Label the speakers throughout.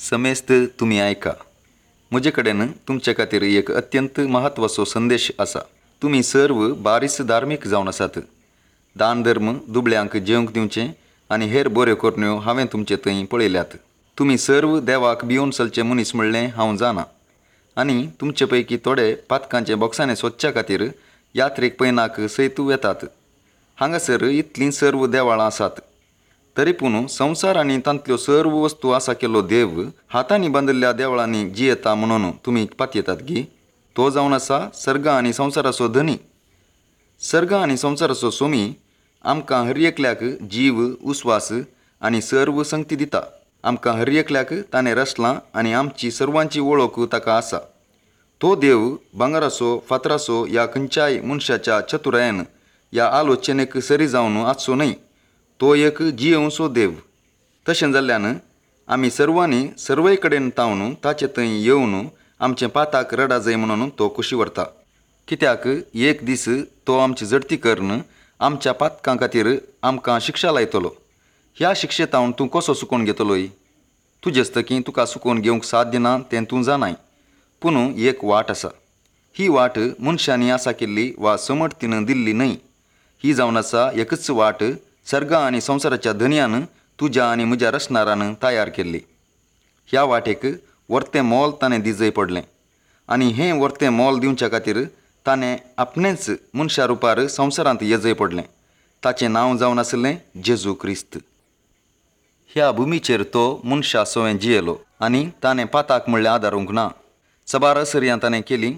Speaker 1: समेस्त तुमी आयका, म्हजे कडेन तुमचे खातीर एक अत्यंत म्हत्वाचो संदेश आसा. तुमी सर्व बारीस धार्मीक जावन आसात. दान धर्म, दुबळ्यांक जेवंक दिवचें आनी हेर बऱ्यो करण्यो हांवें तुमचे थंय पळयल्यात. तुमी सर्व देवाक भियोवन चलचे मनीस म्हणलें हांव जाणा. आनी तुमचे पैकी थोडे पातकांचे बोक्सांनी सोदच्या खातीर यात्रेक पयनाक सयत वेतात. हांगासर इतलीं सर्व देवळां आसात, तरी पूण संवसार आनी तांतल्यो सर्व वस्तू आसा केल्लो देव हातांनी बांदिल्ल्या देवळांनी जियेता म्हणून तुमी पातयेतात गी? तो जावन आसा सर्गा आनी संवसाराचो धनी. सर्गा आनी संवसाराचो सोमी आमकां हर एकल्याक जीव, उस्वास आनी सर्व संगती दिता. आमकां हर एकल्याक ताणें रचलां आनी आमची सर्वांची वळख ताका आसा. तो देव भांगराचो, फातराचो ह्या खंयच्याय मनशाच्या चतुरायेन ह्या आलोचनेक सरी जावन आसचो न्हय. तो एक जियेवचो देव. तशें जाल्ल्यान आमी सर्वांनी सर्वय कडेन तावन ताचे थंय येवन आमचें पाताक रडा जाय म्हणून तो खुशी व्हरता. कित्याक एक दीस तो आमची झडती करून आमच्या पातकां खातीर आमकां शिक्षा लायतलो. ह्या शिक्षेतावन तूं कसो सुकोवन घेतलोय? तुजेस्तकी तुका सुकोवन घेवंक साध्य ना तें तूं जाणाय. पूण एक वाट आसा. ही वाट मनशांनी आसा केल्ली वा समर्थीन दिल्ली न्हय. ही जावन आसा एकच वाट, सर्गा आनी संवसाराच्या धनयान तुज्या आनी म्हज्या रचणारान तयार केल्ली. ह्या वाटेक वर्तें मोल ताणें दिजय पडलें आनी हें वर्तें मोल दिवच्या खातीर ताणें आपणेंच मनशा रुपार संवसारांत येजय पडलें. ताचें नांव जावन आशिल्लें जेजू क्रिस्त. ह्या भुमीचेर तो मनशा सवें जियेलो आनी ताणें पाताक म्हणल्यार आदारूंक ना. सबार असर्यां ताणें केलीं,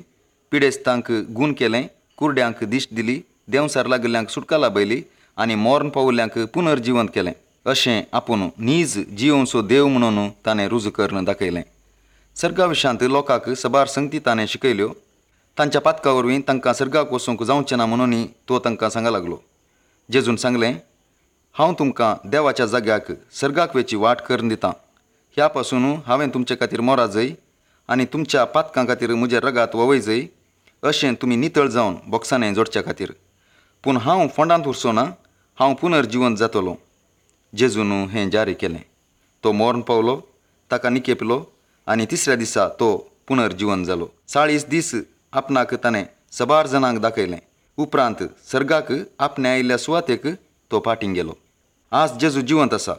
Speaker 1: पिडेस्तांक गूण केलें, कुरड्यांक दिश्ट दिली, देंवसार लागिल्ल्यांक सुटका लाबयली आनी मरण पाविल्ल्यांक पुनर्जिवंत केलें. अशें आपूण नीज जियोवचो देव म्हणून ताणें रुजू करून दाखयलें. सर्गा विशांत लोकांक सबार संगती ताणें शिकयल्यो. तांच्या पातका वरवीं तांकां सर्गाक वचूंक जावचें ना म्हणून तो तांकां सांगा लागलो. जेजून सांगलें, हांव तुमकां देवाच्या जाग्याक सर्गाक वेची वाट करून दितां. ह्या पासून हांवें तुमचे खातीर मोरा जय आनी तुमच्या पातकां खातीर म्हजें रगात ववय जय, अशें तुमी नितळ जावन बोक्सांनी जोडच्या खातीर. पूण हांव फोंडांत उरचो ना, हांव पुनर्जिवंत जातलो. जेजून हें जारी केलें. तो मरण पावलो, ताका निकेपलो आनी तिसऱ्या दिसा तो पुनर्जिवंत जालो. 40 दीस आपणाक ताणें सबार जाणांक दाखयलें. उपरांत सर्गाक आपणे आयिल्ल्या सुवातेक तो फाटीं गेलो. आज जेजू जिवंत आसा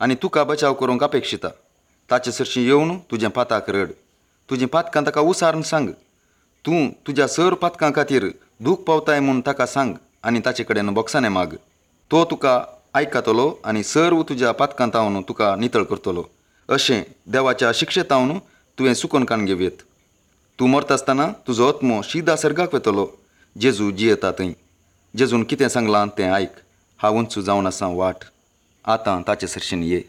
Speaker 1: आनी तुका बचाव करूंक अपेक्षिता. ताचे सरशीं येवन तुजें पाताक रड, तुजीं पातकां ताका उसारून सांग. तूं तुज्या सर पातकां खातीर दूख पावताय म्हूण ताका सांग आनी ताचे कडेन बोक्साणें माग. तो तुका आयकतलो आनी सर्व तुज्या पातकां तावन तुका नितळ करतलो. अशें देवाच्या शिक्षेतावन तुवें सुकोन काण घेवयेत. तूं मरता आसतना तुजो आत्मो शिदा सर्गाक वेतलो, जेजू जियेता थंय. जेजून कितें सांगलां तें आयक. हांवूच जावन आसा वाट. आतां ताचे सरशीन ये.